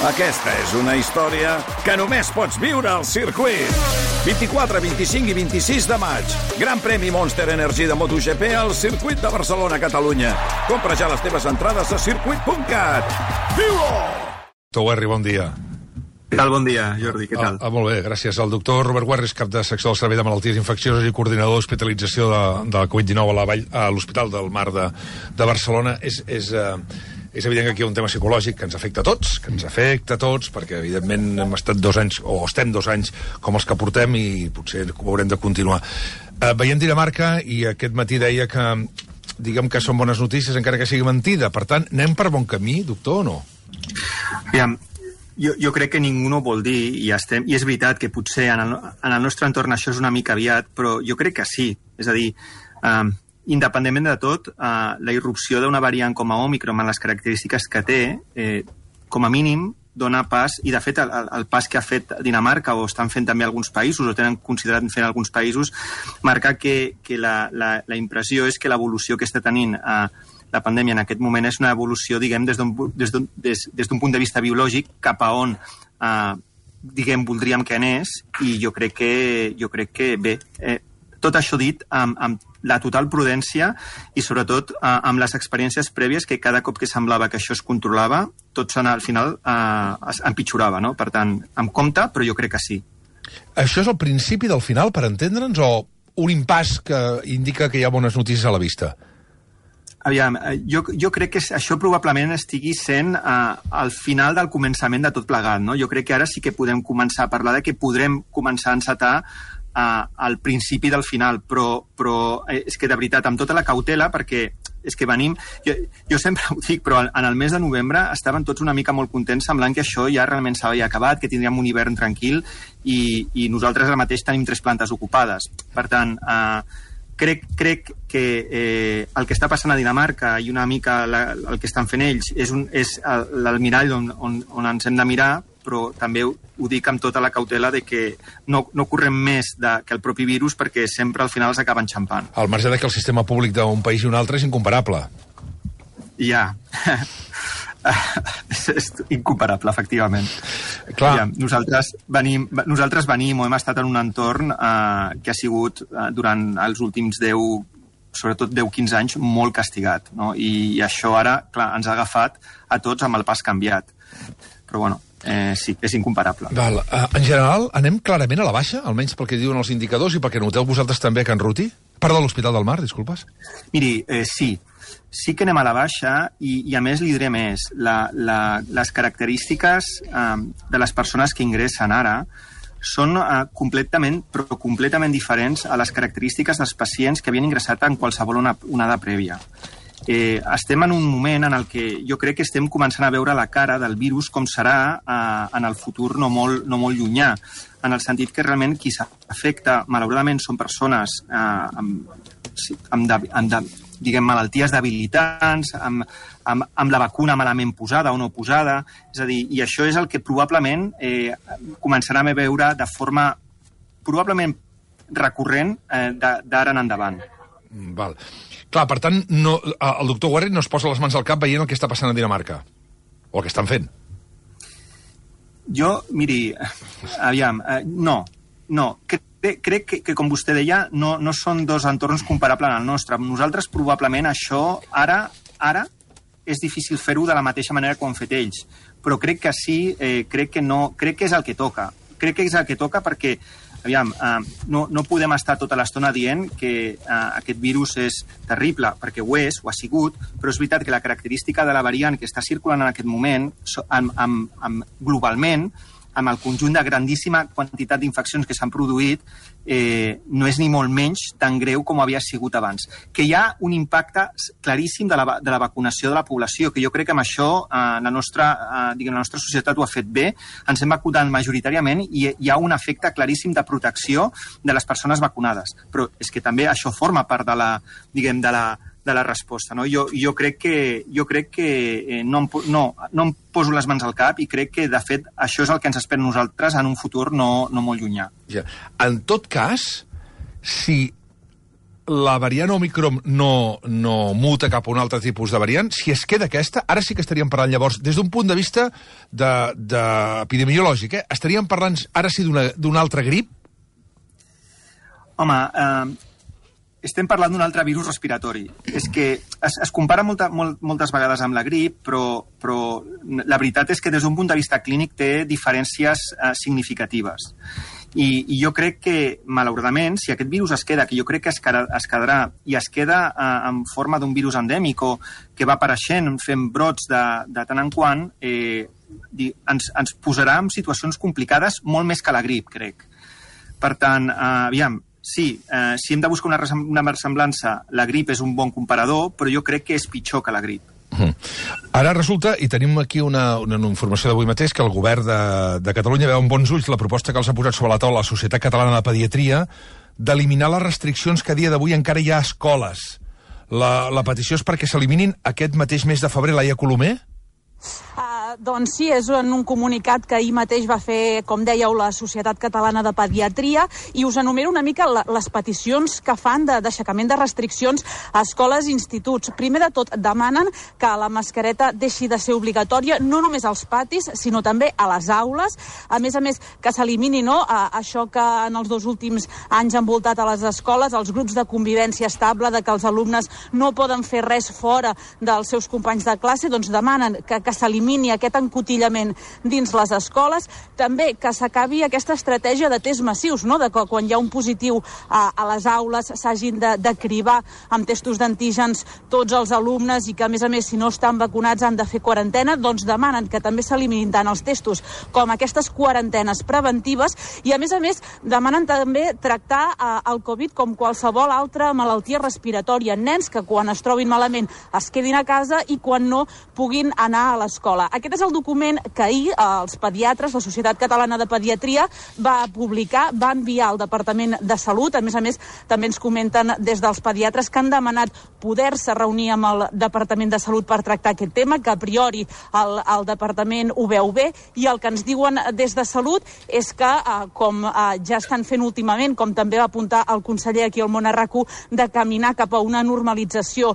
Aquesta és una història que només pots viure al circuit. 24, 25 i 26 de maig. Gran premi Monster Energy de MotoGP al circuit de Barcelona, Catalunya. Compra ja les teves entrades a circuit.cat. Viu-ho! Doctor Guerri, bon dia. Què tal? Bon dia, Jordi, què tal? Molt bé, gràcies. El doctor Robert Guerri és cap de secció del Servei de Malalties Infeccioses i coordinador d'hospitalització de la Covid-19 a l'Hospital del Mar de Barcelona. És evident que aquí hi ha un tema psicològic que ens afecta a tots, perquè evidentment hem estat 2 anys, o estem 2 anys com els que portem, i potser ho haurem de continuar. Veiem Dinamarca, i aquest matí deia que, diguem que són bones notícies, encara que sigui mentida. Per tant, anem per bon camí, doctor, o no? Aviam, jo crec que ningú no ho vol dir, i és veritat que potser en el nostre entorn això és una mica aviat, però jo crec que sí. És a dir, independentment de tot, la irrupció d'una variant com a Òmicron, amb les característiques que té, com a mínim dona pas, i de fet el pas que ha fet Dinamarca, o estan fent també alguns països, o tenen considerat fer alguns països, marca que la impressió és que l'evolució que està tenint la pandèmia en aquest moment és una evolució, diguem, des d'un punt de vista biològic cap a on diguem, voldríem que anés, i jo crec que bé, tot això dit amb la total prudència i sobretot amb les experiències prèvies, que cada cop que semblava que això es controlava, tot al final empitjorava, no? Per tant, amb compte, però jo crec que sí. Això és el principi del final, per entendre'ns, o un impàs que indica que hi ha bones notícies a la vista? Aviam, jo crec que això probablement estigui sent el final del començament de tot plegat, no? Jo crec que ara sí que podem començar a parlar de que podrem començar a encetar al principi del final, però és que de veritat, amb tota la cautela, perquè és que venim, jo sempre ho dic, però en el mes de novembre estaven tots una mica molt contents, semblant que això ja realment s'havia acabat, que tindríem un hivern tranquil, i nosaltres ara mateix tenim 3 plantes ocupades. Per tant, crec que el que està passant a Dinamarca i una mica el que estan fent ells és l'almirall on ens hem de mirar, però també ho dic amb tota la cautela de que no correm més que el propi virus, perquè sempre al final s'acaba enxampant. Al marge de que el sistema públic d'un país i un altre és incomparable. Ja. És incomparable, efectivament. Clar. Ja, nosaltres venim o hem estat en un entorn que ha sigut durant els últims 10, sobretot 10-15 anys, molt castigat, no? I això ara, clar, ens ha agafat a tots amb el pas canviat. Però bueno, sí, és incomparable. Val. En general, anem clarament a la baixa, almenys pel que diuen els indicadors i pel que noteu vosaltres també a Can Ruti? Perdó, a l'Hospital del Mar, disculpes. Miri, sí que anem a la baixa, i a més li diré més. Les característiques de les persones que ingressen ara són completament diferents a les característiques dels pacients que havien ingressat en qualsevol onada prèvia. Estem en un moment en el que jo crec que estem començant a veure la cara del virus com serà en el futur no molt llunyà, en el sentit que realment qui s'afecta, malauradament, són persones amb diguem, malalties debilitants, amb la vacuna malament posada o no posada, és a dir, i això és el que probablement començarem a veure de forma probablement recurrent d'ara en endavant. Val. Clar, per tant, el doctor Guerri no es posa les mans al cap veient el que està passant a Dinamarca, o el que estan fent. Jo, miri, aviam, no. Crec que, com vostè deia, no són 2 entorns comparables al nostre. Nosaltres, probablement, això ara és difícil fer-ho de la mateixa manera que ho han fet ells. Però crec que sí, crec que és el que toca. Crec que és el que toca perquè, aviam, no podem estar tota l'estona dient que aquest virus és terrible, perquè ho ha sigut, però és veritat que la característica de la variant que està circulant en aquest moment, globalment, amb el conjunt de grandíssima quantitat d'infeccions que s'han produït, no és ni molt menys tan greu com havia sigut abans. Que hi ha un impacte claríssim de la vacunació de la població, que jo crec que amb això la nostra societat ho ha fet bé, ens hem vacunat majoritàriament i hi ha un efecte claríssim de protecció de les persones vacunades. Però és que també això forma part de la resposta, no? Jo crec que no em poso les mans al cap i crec que, de fet, això és el que ens espera nosaltres en un futur no molt llunyà. Ja. En tot cas, si la variant Omicron no muta cap a un altre tipus de variant, si es queda aquesta, ara sí que estaríem parlant llavors, des d'un punt de vista epidemiològic, estaríem parlant ara sí d'una altra grip? Home, estem parlant d'un altre virus respiratori. És que es compara moltes vegades amb la grip, però la veritat és que des d'un punt de vista clínic té diferències significatives. I jo crec que, malauradament, si aquest virus es queda, que jo crec que es quedarà, i es queda en forma d'un virus endèmic o que va apareixent fent brots de tant en quant, ens posarà en situacions complicades molt més que la grip, crec. Per tant, aviam, sí, si hem de buscar una semblança, la grip és un bon comparador, però jo crec que és pitjor que la grip. Ara resulta, i tenim aquí una informació d'avui mateix, que el govern de Catalunya veu amb bons ulls la proposta que els ha posat sobre la taula la Societat Catalana de Pediatria d'eliminar les restriccions que a dia d'avui encara hi ha a escoles. La petició és perquè s'eliminin aquest mateix mes de febrer. Laia Colomer? Doncs sí, és un comunicat que ahir mateix va fer, com dèieu, la Societat Catalana de Pediatria, i us enumero una mica les peticions que fan d'aixecament de restriccions a escoles i instituts. Primer de tot, demanen que la mascareta deixi de ser obligatòria no només als patis, sinó també a les aules. A més, que s'elimini això que en els 2 últims anys han envoltat a les escoles, els grups de convivència estable, de que els alumnes no poden fer res fora dels seus companys de classe, doncs demanen que s'elimini aquest encotillament dins les escoles. També que s'acabi aquesta estratègia de tests massius, de que quan hi ha un positiu a les aules s'hagin de cribar amb testos d'antígens tots els alumnes i que, a més, si no estan vacunats han de fer quarantena. Doncs demanen que també s'eliminin tant els testos com aquestes quarantenes preventives i, a més, demanen també tractar el Covid com qualsevol altra malaltia respiratòria. Nens que quan es trobin malament es quedin a casa i quan no puguin anar a l'escola. Aquest és el document que ahir els pediatres, la Societat Catalana de Pediatria, va publicar, va enviar al Departament de Salut. A més, també ens comenten des dels pediatres que han demanat poder-se reunir amb el Departament de Salut per tractar aquest tema, que a priori el Departament ho veu bé, i el que ens diuen des de Salut és que, com ja estan fent últimament, com també va apuntar el conseller aquí al Món a RAC1, de caminar cap a una normalització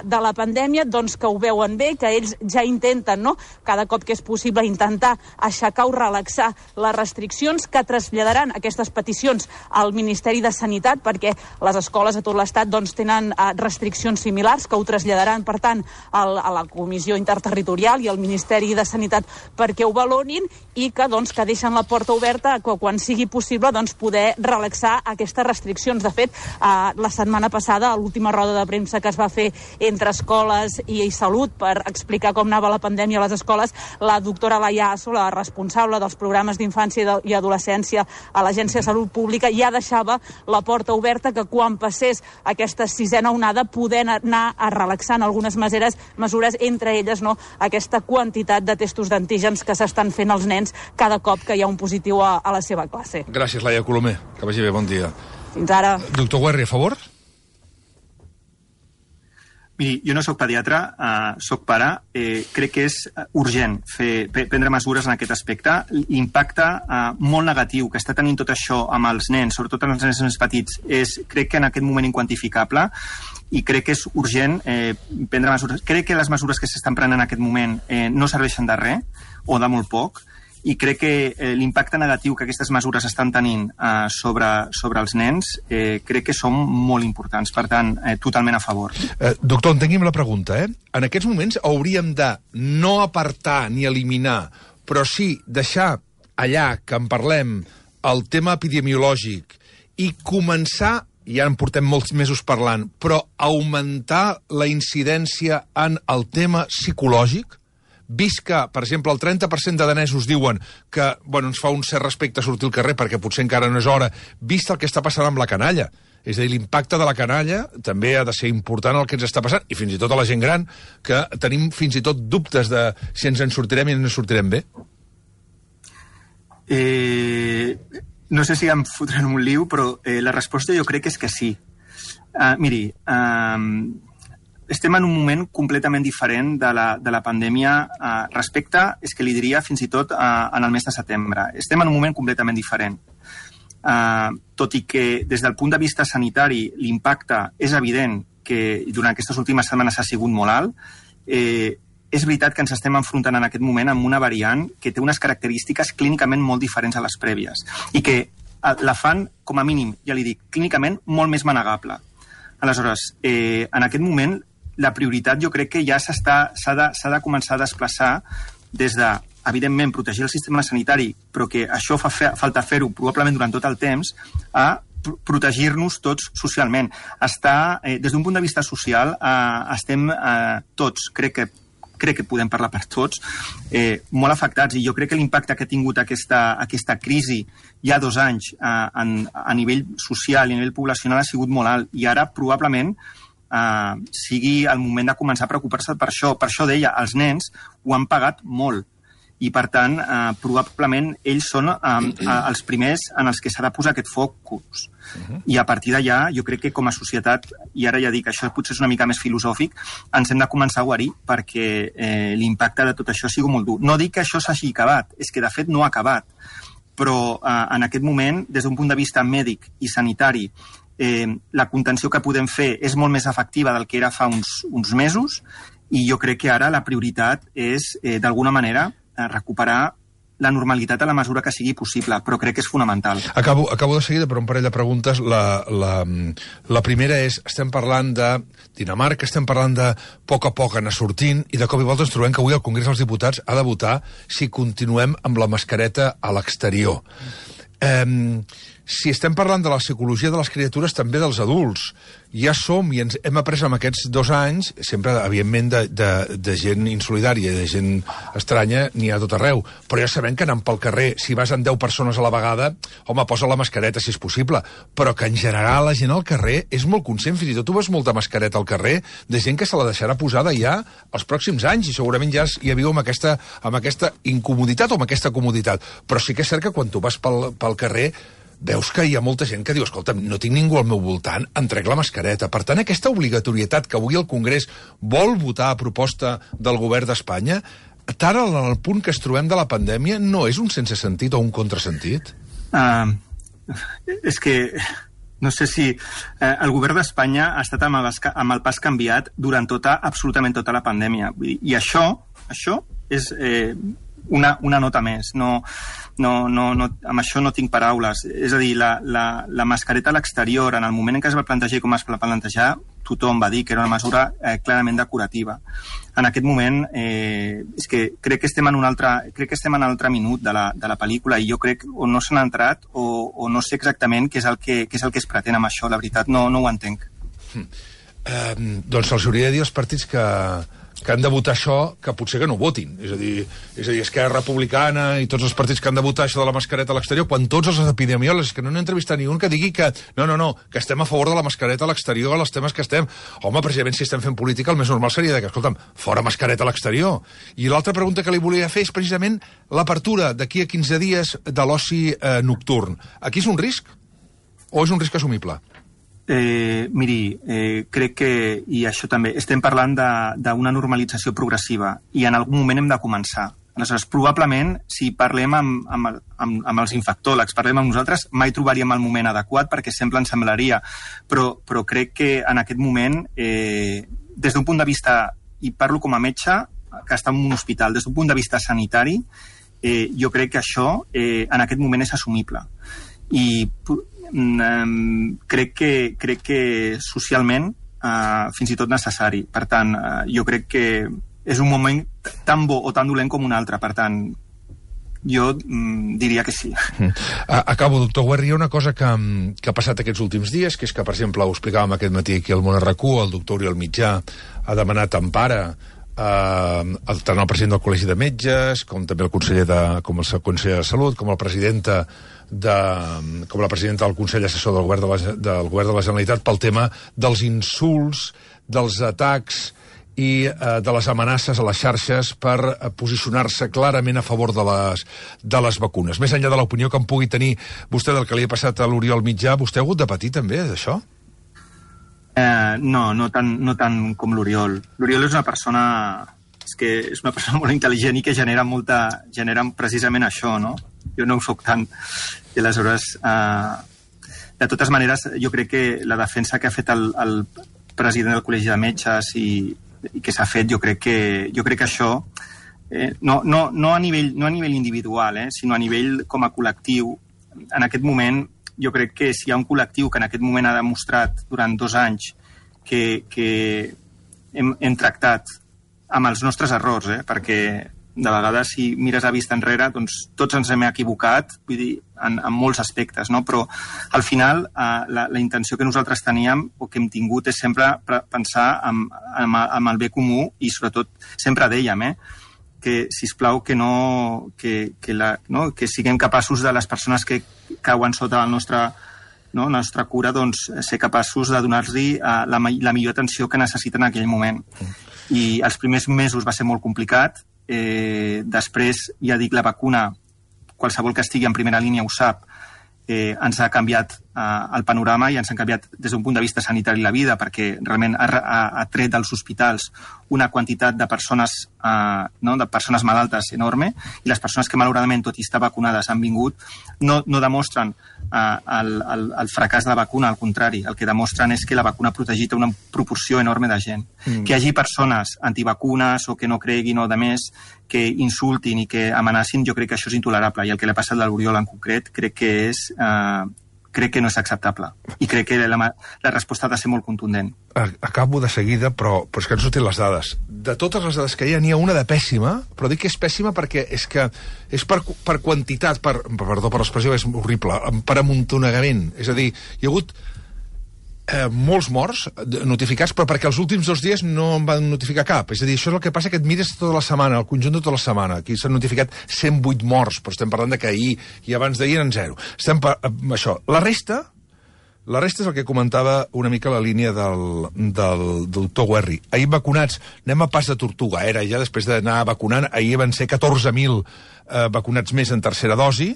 de la pandèmia, doncs que ho veuen bé, que ells ja intenten, cada cop que és possible, intentar aixecar o relaxar les restriccions, que traslladaran aquestes peticions al Ministeri de Sanitat, perquè les escoles a tot l'Estat tenen restriccions similars, que ho traslladaran, per tant, a la Comissió Interterritorial i al Ministeri de Sanitat perquè ho valorin, i que deixen la porta oberta que quan sigui possible poder relaxar aquestes restriccions. De fet, la setmana passada, a l'última roda de premsa que es va fer entre escoles i Salut per explicar com anava la pandèmia a les escoles, la doctora Laia Asso, la responsable dels programes d'infància i adolescència a l'Agència de Salut Pública, ja deixava la porta oberta que quan passés aquesta 6a onada poder anar a relaxar algunes mesures, entre elles aquesta quantitat de testos d'antígens que s'estan fent als nens cada cop que hi ha un positiu a la seva classe. Gràcies, Laia Colomer. Que vagi bé, bon dia. Fins ara. Doctor Guerri, a favor? Miri, jo no sóc pediatre, sóc pare. Crec que és urgent prendre mesures en aquest aspecte. L'impacte molt negatiu que està tenint tot això amb els nens, sobretot amb els nens més petits, crec que en aquest moment inquantificable, i crec que és urgent prendre mesures. Crec que les mesures que s'estan prenent en aquest moment no serveixen de res, o de molt poc, i crec que l'impacte negatiu que aquestes mesures estan tenint sobre els nens crec que són molt importants. Per tant, totalment a favor. Doctor, entengui'm la pregunta. En aquests moments hauríem de no apartar ni eliminar, però sí deixar allà que en parlem el tema epidemiològic i començar, ja en portem molts mesos parlant, però augmentar la incidència en el tema psicològic? Vist que, per exemple, el 30% de danesos diuen que ens fa un cert respecte sortir al carrer perquè potser encara no és hora, vist el que està passant amb la canalla. És a dir, l'impacte de la canalla també ha de ser important el que ens està passant, i fins i tot a la gent gran, que tenim fins i tot dubtes de si ens en sortirem i no ens sortirem bé. No sé si em fotran un liu, però la resposta jo crec és que sí. Miri, estem en un moment completament diferent de la pandèmia respecte, és que li diria fins i tot en el mes de setembre. Estem en un moment completament diferent. tot i que des del punt de vista sanitari l'impacte és evident que durant aquestes últimes setmanes ha sigut molt alt, és veritat que ens estem enfrontant en aquest moment amb una variant que té unes característiques clínicament molt diferents a les prèvies i que la fan, com a mínim, ja li dic, clínicament molt més manegable. Aleshores, en aquest moment, la prioritat jo crec que ja s'ha de començar a desplaçar des de, evidentment, protegir el sistema sanitari, però que això fa falta fer-ho probablement durant tot el temps, a protegir-nos tots socialment. Des d'un punt de vista social, estem tots, crec que podem parlar per tots, molt afectats, i jo crec que l'impacte que ha tingut aquesta crisi ja 2 anys a nivell social i a nivell poblacional ha sigut molt alt, i ara probablement sigui el moment de començar a preocupar-se per això. Per això deia, els nens ho han pagat molt, i per tant probablement ells són els primers en els que s'ha de posar aquest focus. I a partir d'allà jo crec que com a societat, i ara ja dic, això potser és una mica més filosòfic, ens hem de començar a guarir perquè l'impacte de tot això sigui molt dur. No dic que això s'hagi acabat, és que de fet no ha acabat, però en aquest moment, des d'un punt de vista mèdic i sanitari, la contenció que podem fer és molt més efectiva del que era fa uns mesos, i jo crec que ara la prioritat és, d'alguna manera, recuperar la normalitat a la mesura que sigui possible, però crec que és fonamental. Acabo de seguida per un parell de preguntes. La primera és, estem parlant de Dinamarca, estem parlant de poc a poc anar sortint, i de cop i volta ens trobem que avui el Congrés dels Diputats ha de votar si continuem amb la mascareta a l'exterior. Si estem parlant de la psicologia de les criatures, també dels adults. Ja som, i ens hem après amb aquests 2 anys, sempre, evidentment, de gent insolidària, de gent estranya, n'hi ha tot arreu. Però ja sabem que anant pel carrer, si vas amb 10 persones a la vegada, home, posa la mascareta si és possible. Però que en general la gent al carrer és molt conscient, fins i tot tu veus molta mascareta al carrer, de gent que se la deixarà posada ja els pròxims anys, i segurament ja viu amb aquesta incomoditat o amb aquesta comoditat. Però sí que és cert que quan tu vas pel carrer veus que hi ha molta gent que diu, escolta, no tinc ningú al meu voltant, em trec la mascareta. Per tant, aquesta obligatorietat que avui el Congrés vol votar a proposta del govern d'Espanya, tant en el punt que es trobem de la pandèmia, no és un sense sentit o un contrasentit? És que no sé si el govern d'Espanya ha estat amb el pas canviat durant absolutament tota la pandèmia. I això és una nota més. Amb això no tinc paraules. És a dir, la mascareta a l'exterior, en el moment en què es va plantejar i com es va plantejar, tothom va dir que era una mesura clarament decorativa. En aquest moment, és que crec que estem en un altre minut de la pel·lícula, i jo crec o no s'han entrat o no sé exactament què és el que es pretén amb això. La veritat, no ho entenc. Doncs els hauria de dir als partits que han de votar això, que potser que no votin. És a dir, Esquerra Republicana i tots els partits que han de votar això de la mascareta a l'exterior, quan tots els epidemiòlegs, que no n'he entrevistat ni un que digui que no, que estem a favor de la mascareta a l'exterior, als temes que estem. Home, precisament, si estem fent política, el més normal seria que, escolta'm, fora mascareta a l'exterior. I l'altra pregunta que li volia fer és precisament l'apertura d'aquí a 15 dies de l'oci nocturn. Aquí és un risc? O és un risc assumible? Miri, crec que, i això també, estem parlant d'una normalització progressiva, i en algun moment hem de començar. Aleshores, probablement, si parlem amb els infectòlegs, parlem amb nosaltres, mai trobaríem el moment adequat, perquè sempre ens semblaria, però crec que en aquest moment, des d'un punt de vista, i parlo com a metge, que està en un hospital, des d'un punt de vista sanitari, jo crec que això en aquest moment és assumible. I crec que socialment fins i tot necessari. Per tant, jo crec que és un moment tan bo o tan dolent com un altre. Per tant, jo diria que sí. Acabo, doctor Guerri. Hi ha una cosa que ha passat aquests últims dies, que és que, per exemple, ho explicàvem aquest matí aquí al Món RQ, el doctor Oriol Mitjà ha demanat empara tant el president del Col·legi de Metges, com també el conseller de Salut, com la presidenta del Consell Assessor del Govern de la Generalitat, pel tema dels insults, dels atacs i de les amenaces a les xarxes per posicionar-se clarament a favor de les vacunes. Més enllà de l'opinió que en pugui tenir vostè del que li ha passat a l'Oriol Mitjà, vostè ha hagut de patir també d'això? No tant com l'Oriol. L'Oriol és una persona molt intel·ligent i que genera precisament això, no? jo no ho soc tant. I aleshores, de totes maneres, jo crec que la defensa que ha fet el president del Col·legi de Metges i que s'ha fet, jo crec que això, no a nivell individual, sinó a nivell com a col·lectiu, en aquest moment, jo crec que si hi ha un col·lectiu que en aquest moment ha demostrat durant 2 anys que hem tractat amb els nostres errors, perquè de vegades si mires a vista enrere doncs tots ens hem equivocat, vull dir, en molts aspectes, no? Però al final la intenció que nosaltres teníem o que hem tingut és sempre pensar en el bé comú i sobretot sempre dèiem que sisplau que siguem capaços de les persones que cauen sota la nostra cura, doncs ser capaços de donar-los la millor atenció que necessiten en aquell moment. I els primers mesos va ser molt complicat. Després, ja dic, la vacuna, qualsevol que estigui en primera línia ho sap, ens ha canviat el panorama i ens han canviat des d'un punt de vista sanitari la vida, perquè realment ha tret dels hospitals una quantitat de persones malaltes enorme, i les persones que malauradament, tot i estar vacunades, han vingut, no demostren el fracàs de la vacuna, al contrari, el que demostren és que la vacuna ha protegit una proporció enorme de gent. Que hi hagi persones antivacunes o que no creguin o de més que insultin i que amenacin, jo crec que això és intolerable, i el que li ha passat a l'Oriol en concret crec que no és acceptable, i crec que la resposta ha de ser molt contundent. Acabo de seguida, però és que ens sortin les dades. De totes les dades que n'hi ha una de pèssima, però dic que és pèssima perquè és per quantitat, perdó per l'expressió, és horrible, per amuntonegament. És a dir, hi ha hagut molts morts notificats, però perquè els últims 2 dies no en van notificar cap. És a dir, això és el que passa, que et mires tota la setmana, el conjunt de tota la setmana. Aquí s'han notificat 108 morts, però estem parlant de que ahir i abans d'ahir eren 0. Això. La resta és el que comentava una mica la línia del doctor Guerri. Ahir vacunats, anem a pas de tortuga, ja després d'anar vacunant, ahir van ser 14.000 vacunats més en tercera dosi.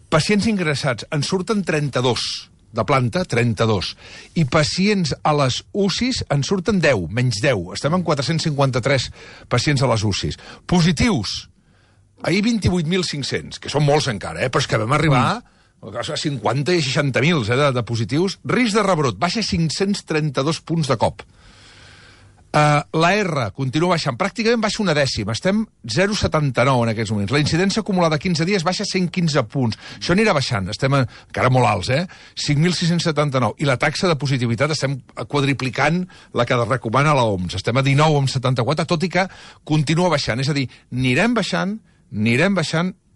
Pacients ingressats, en surten 32 de planta, 32. I pacients a les UCIs en surten 10, menys 10. Estem en 453 pacients a les UCIs. Positius, ahir 28.500, que són molts encara, però és que vam arribar a 50 i 60.000 de positius. Risc de rebrot, baixa 532 punts de cop. La R continua baixant, pràcticament baixa 1/10, estem 0,79 en aquests moments. La incidència acumulada 15 dies baixa 115 punts. Això anirà baixant, estem encara molt alts, 5.679. I la taxa de positivitat estem quadriplicant la que recomana l'OMS. Estem a 19,74, tot i que continua baixant. És a dir, anirem baixant,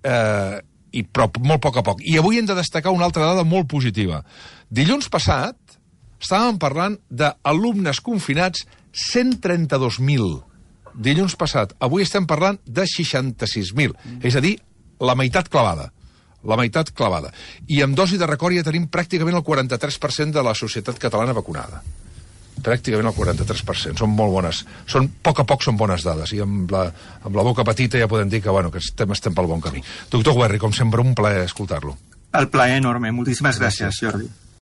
però molt a poc. I avui hem de destacar una altra dada molt positiva. Dilluns passat estàvem parlant d'alumnes confinats 132.000. Dilluns passat. Avui estem parlant de 66.000. És a dir, la meitat clavada. I amb dosi de record ja tenim pràcticament el 43% de la societat catalana vacunada. Pràcticament el 43%. Són molt bones. A poc són bones dades. I amb la boca petita ja podem dir que estem pel bon camí. Doctor Guerri, com sempre, un plaer escoltar-lo. El plaer enorme. Moltíssimes gràcies, Jordi.